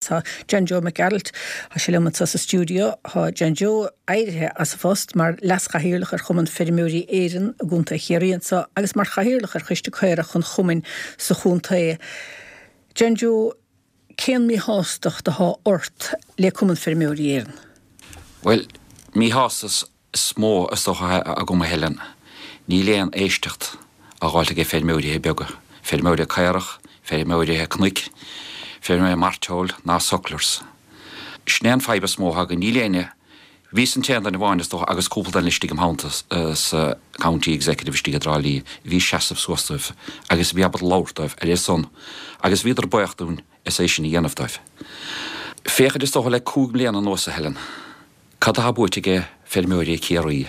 Tá John Joe Mac Gearailt, tá sé liom anseo sa stiúideo. Tá John Joe éirithe as a phost mar leas-chathaoirleach ar Chumann Feirmeoirí Éireann i gContae Chiarraí anseo agus mar chathaoirleach ar Choiste Caorach an Chumainn sa chontae. John Joe, cén míshástacht atá ort le Cumann Feirmeoirí Éireann? Bhuel, míshástacht is mó is dócha atá agam a Helen, níl aon éisteacht á dh'fháilt aige feirmeoirithe beaga, feirmeoirithe caorach, feirmeoirithe cnoic, feirmeoirithe mairteoil ná sucklers. Sin é an fadhb is mó atá againn, níl éinne, bhíos an t-aon duine amháin is dócha agus cúpla duine istigh im theannta sa County Executive istigh i dTrá Lí a bhí ag seasamh suas dóibh agus a bhí ábalta labhairt dóibh ar a son agus bhíodar buíoch dúinn as é sin a dhéanamh dóibh. Féachaint is dócha le 5 mbliana anuas a Helen. Cad atá buaite aige feirmeoirí Ciarraí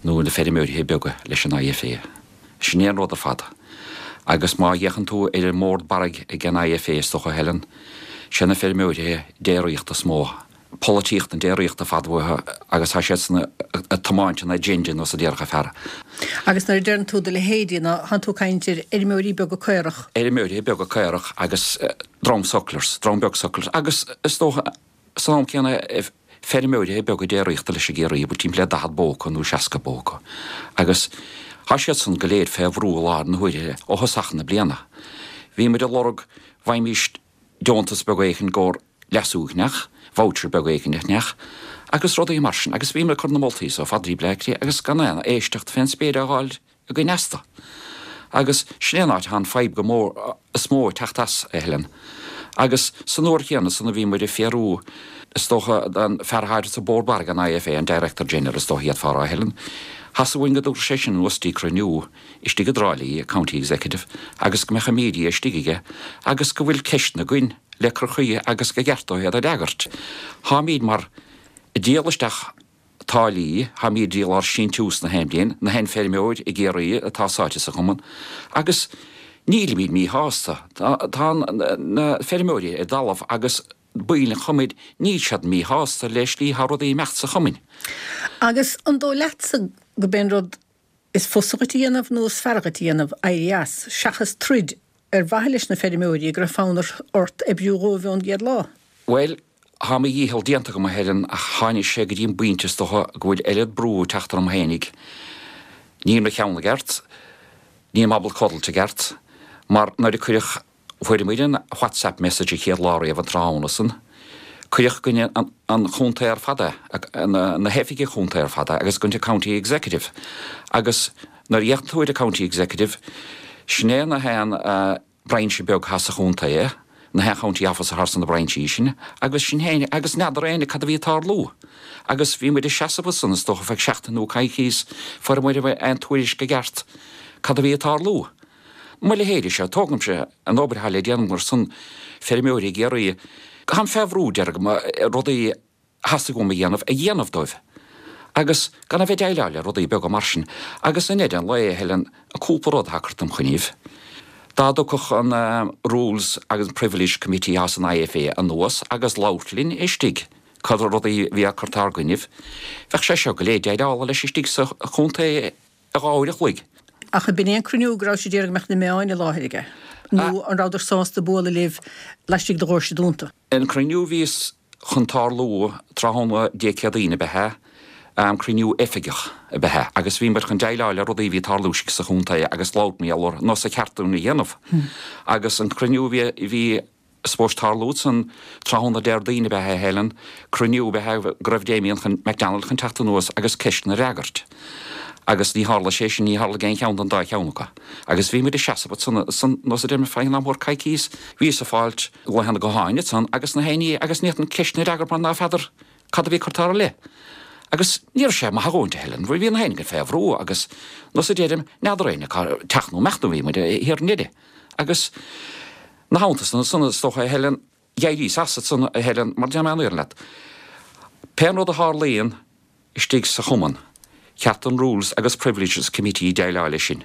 nó na feirmeoirithe beaga leis an IFA? Sin é an rud ar fad. Agus má fhéachann tú ar an mbord barraigh ag an IFA is dócha, Helen, sé na feirmeoirithe déiríochta is mó. Polaitíocht na déiríochta ar fad uathu agus tá siadsan ag tiomáint an agenda nós a déarfadh fear. Agus nuair a deireann tú do leithéidí, ná thánn tú ag caint ar fheirmeoirí beaga caorach? Fheirmeoirithe beaga caorach agus dream sucklers, dream beag sucklers agus is dócha, San am céanna, feirmeoirithe beaga déiríochta leis i gCiarraí, a bhfuil timpeall le 40 bó acu nó 60 bó acu, agus tá siad san go léir fé bhrú i láthair na huaire ó thosach na bliana. Bhí muid ag lorg bhfaighimís deontas beag éicint i gcomhair leasú a cheannach, voucher beag éicint a cheannach, agus rudaí mar sin, agus bhí muid ag cur na moltaí so fad Bhleá Cliath agus gan aon éisteacht fén spéir á dh'fháil againn astu. Agus sin é an áit atá an fadhb go mór, is mó ag teacht as, a Helen. Agus san uair chéanna san a bhí muid ag fiarú, is dócha, den fear atá sa Bord Barraigh an IFA, an Director General is dócha d'fhéadfá a rá, a Helen, theastaigh uainn go dtabharfadh sé sin anuas dtí cruinniú istigh i dTrá Lí, County Executive, agus go mbeadh an media istigh aige agus go bhfuil ceisteanna againn le cur chuige agus go gceart dó iad a fhreagairt. Táimíd mar ag díol isteach táillí, táimíd ag díol ár síntiús na haon bhliain, na haon feirmeoir i gCiarraí atá sáite sa chumann, agus nílimíd míshásta. Tá na feirmeoirí ar an dtalamh agus baill an chumainn, níl siad míshásta le slí atá rudaí ag imeacht sa chumann. Agus an dóigh leatsa go b'é an rud is fusa dhuit a dhéanamh nó is fearr dhuit a dhéanamh éirí as, seachas troid ar mhaithe leis na feirmeoirí go raibh fonn ort oibriú dhóibh ón gcéad lá? Bhuel, Tá mo dhícheall déanta agam a Helen ach tháinig sé go dtí an bpointe is dócha go bhfuil oiread brú ag teacht orm fhéinig. Níl mo cheann i gceart, níl mé ábalta codlailt i gceart, mar nuair a cuireadh, fuair muid an WhatsApp message an chéad lá riamh an tráthnóna san, cuireadh go dtí an chontae ar fad é, na hoifigigh chontae ar fad é agus go dtí an County Executive agus nuair a fhéachann tú ar an County Executive, sin é na haon, brainse beag atá sa chontae, na haon County Officer thar sna brainsí sin, agus sin féin, agus n'fheadar éinne cad a bhí ag tarlú. Agus bhí muid ag seasamh ansan, is dócha, feadh seachtain nó coicíos, fuair muid aon tuairisc i gceart cad a bhí ag tarlú. Mo leithéide seo, tógaimse an obair atá le déanamh ar son feirmeoirí i gCiarraí, táim fé bhrú, déarfainn, rudaí theastaigh uaim a dhéanamh, a dhéanamh dóibh. Agus gan a bheith ag déileáil le rudaí beaga mar sin. Agus i ndeireadh an lae, a Helen, an cúpla rud atá curtha im choinnibh. Dá dtiocfadh an Rules agus Privilege Committee as an IFA anuas agus labhairt linn istigh, cad rudaí a bhí á cur ár gcoinnibh, bheadh sé seo go léir déileála leis istigh sa chontae i dhá uair a chloig. Ach ab in é an cruinniú go raibh siad ag iarraidh go mbeadh na meáin i láthair aige? Nó an rabhadar sásta bualadh libh laistigh de dhoirse dúnta? An cruinniú a bhíos chun tarlú tráthnóna Dé Céadaoin ab ea é, cruinniú oifigeach ab ea é, agus bhí muid chun déileáil le rudaí a bhí ag tarlú istigh sa chontae agus labhairt mar gheall orthu, nós a cheart dúinn a dhéanamh. Agus an cruinniú a bhí, a bhí supposed tarlú san tráthnóna Déardaoin ab ea é, a Helen, cruinniú ab ea é go raibh Damien chun, McDonald chun teacht anuas agus ceisteanna a fhreagairt. Agus ní tharla sé sin, ní tharla aon cheann den dá cheann acu. Agus bhí muid ag seasamh ansan, san, nós a deir mé, feadh an am coicíos, bhíos ag fáilt, glaochanna gutháin ansan agus na héinní agus ní fhéadfainn ceisteanna a fhreagairt mar ná feadar cad a bhí curtha ár leith. Agus ní raibh sé maith a dhóthaint a Helen, bhí na héinne fé bhrú agus nós a deirim, n'fheadar éinne cá teacht nó imeacht nó bhí muid thiar i nDoire. Agus na theannta san ansan is dócha a Helen, d'éiríos as ansan a Helen mar déarfaidh mé an fhírinne leat. Pé an rud a tharlaíonn istigh sa chumann, cheart don Rules agus Privileges Committee déileáil leis sin.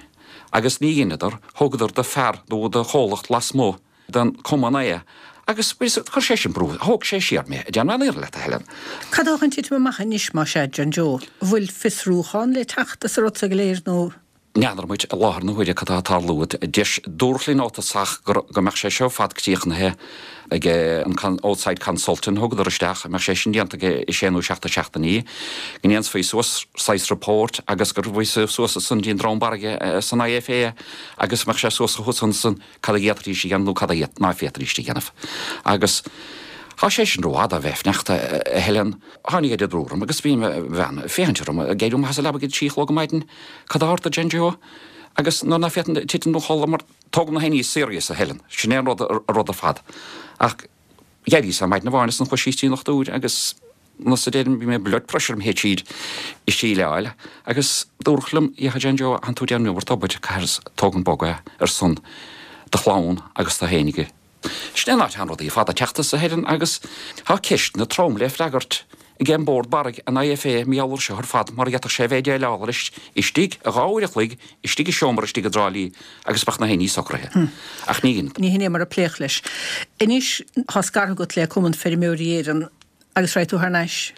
Agus ní dheineadar, thugadar do fear nó do chomhlacht lasmuigh den chumann é agus chuir sé sin brú, thóg sé siar mé, déarfaidh mé an fhírinne leat, a Helen. Cad atá chun titim amach anois, más ea, John Joe? An bhfuil fiosrúchán le teacht as an rud seo go léir nó? N'fheadar muid i láthair na huaire cad tá ag tarlú. Deis, dúradh linn ó tosach go mbeadh sé seo ar fad críochnaithe ag an outside consultant a thugadar isteach, go mbeadh sé sin déanta ag sé nó seacht de seachtainí, go ndéanfaí suas saghas report agus go rachfaí suas ansan dtí an dream barraige san IFA agus go mbeadh sé suas chucu ansan cad a d'fhéadfaidís a dhéanamh nó cad a ná féadfaidís a dhéanamh. Agus tá sé sin rófhada a bheith ag fanacht, a Helen. Tháinig oiread brú orm agus bhí mo bhean ag féachaint orm ag éirí amach as an leaba ag a trí a chlog ar maidin, cad a tharla John Joe? Agus nuair ná féadfainn titim 'on chodladh mar tógaim na haon serious a Helen, sin é an rud rud ar fad. Ach d'éiríos ar maidin amháin is an chuaigh síos dtí an dochtúir agus nós a deirim bhí mé blood pressure im théid siar i síleáil agus dúradh liom, yeah John Joe, tánn tú ag déanamh iomarca obair, caithfir tógaint bog é ar son do chlann agus do fhéinig. Sin é an áit atá rudaí ar fad ag teacht as a Helen agus tá ceisteanna trom le freagairt ag an mBord Barraigh, an IFA, mar gheall air seo ar fad mar d'fhéadfadh sé a bheith déileáil leis istigh i 2 uair a chloig istigh i seomra istigh i dTrá Lí agus bheadh na haon ní socraithe. Ach ní hin. Ní hin é mar a pléadh leis. Anois tá scartha agat le Cumann Feirmeoirí Éireann agus raghaidh tú thar n-ais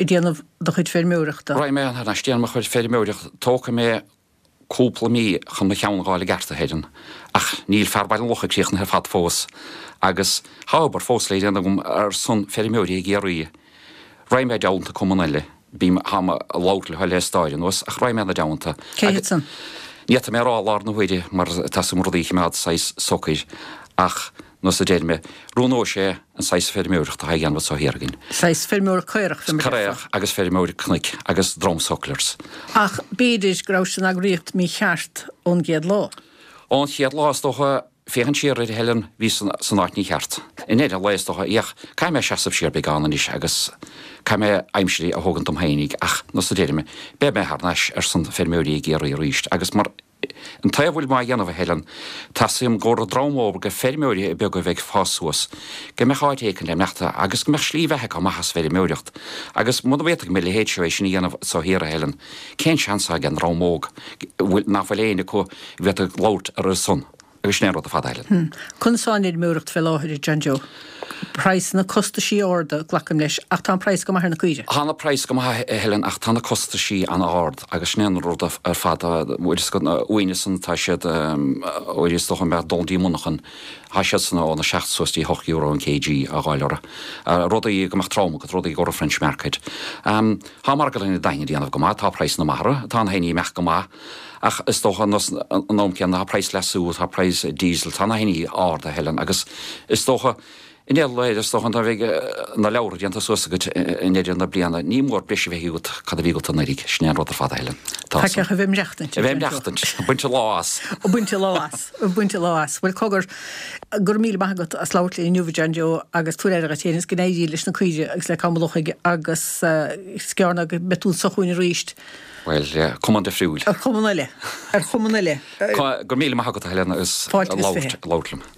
ag déanamh do chuid feirmeoireachta. Raghaidh mé thar n-ais ag déanamh mo chuid feirmeoireachta. Tógfaidh mé cúpla mí chun mo cheann a dh'fháil i gceart, a Helen, ach níl fear Bhaile an Locha críochnaithe ar fad fós, agus tá obair fós le déanamh agam ar son feirmeoirí i gCiarraí. Raghaidh mé i dteannta cumann eile, bím, táim ag labhairt leo le stair anuas, ach raghaidh mé ina dteannta. Cé hiad san? Ní fhéadfaidh mé a rá i láthair na huaire mar tá súil agam rudaí a choimeád saghas socair, ach nós a deir mé, roghnóidh sé an saghas feirmeoireachta atá á dhéanamh anso thiar againn. Saghas feirmeoireacht caorach, fé mar a déarfá. Caorach agus feirmeoireacht cnoic agus dream sucklers. Ach b'fhéidir go rabhais san eagraíocht mícheart ón gcéad lá. Ón chéad lá, is dócha, féachaint siar air, a Helen, bhíos san áit mícheart. I ndeireadh an lae, is dócha, ach caithfidh mé seasamh siar beagán anois agus caithfidh mé aimsir a thógaint dom fhéinig ach, nós a deir mé, beidh mé thar n-ais ar son feirmeoirí i gCiarraí arís agus mar An taobh a bhfuil mé á dhéanamh, a Helen, teastaíonn go raibh dream óg de feirmeoirí beaga a bheith ag fás suas, go mbeadh áit éicint le imeacht agus go mbeadh slí bheatha acu amach as feirmeoireacht. Agus muna bhféadfaidh mo leithéid seo é sin a dhéanamh anso thiar, a Helen, cén seans atá ag an dream óg nach bhfuil éinne acu a bhféadfadh labhairt ar a son? Agus sin é an rud ar fad, a Helen. Conas tá an fheirmeoireacht fé láthair, a John Joe? Praghsanna, costaisí arda, glacaim leis, ach tá an praghas go maith ar na caoirigh. Tá na praghas go maith, a Helen, ach tá na costaisí an-ard agus sin é an rud ar fad. Bhfuil fhios agat, uainne san tá siad, óir is dócha mbeadh dul dtí monarchan, tá siad san óna 7 suas dtí 8 euro an kg á dh'fháil orthu. Rudaí go mbeadh trom agat, rudaí go raibh French market. Tá margadh na Daingean ag déanamh go maith, tá praghsanna maith orthu, tá na haon ní ag imeacht go maith. Ach is dócha an am céanna tá praghas leasú, tá praghas diesel, tá na haon ní ard a Helen agus is dócha i ndeireadh lae is dócha nuair a bheidh na leabhra déanta suas agat i ndeireadh na bliana ní mór breis a bheith agat cad a bhí agat anuraidh, sin é an rud ar fad a Helen. Tá san. Ach a bheith ag maireachtaint. A bheith ag maireachtaint, ag baint a lá as. Ag baint a lá as, ag baint a lá as. Bhuel cogar, go raibh míle maith agat as labhairt linn inniu a John Joe agus tabhair aire dhuit féin agus go n-éirí leis na caoirigh agus le Cam an Lochaigh agus is gearr ná go mbeidh tú anso chugainn arís. Bhuel, cumann difriúil. Ar chumann eile. Ar chumann eile. Go raibh míle maith agat, a Helen, as labhairt liom.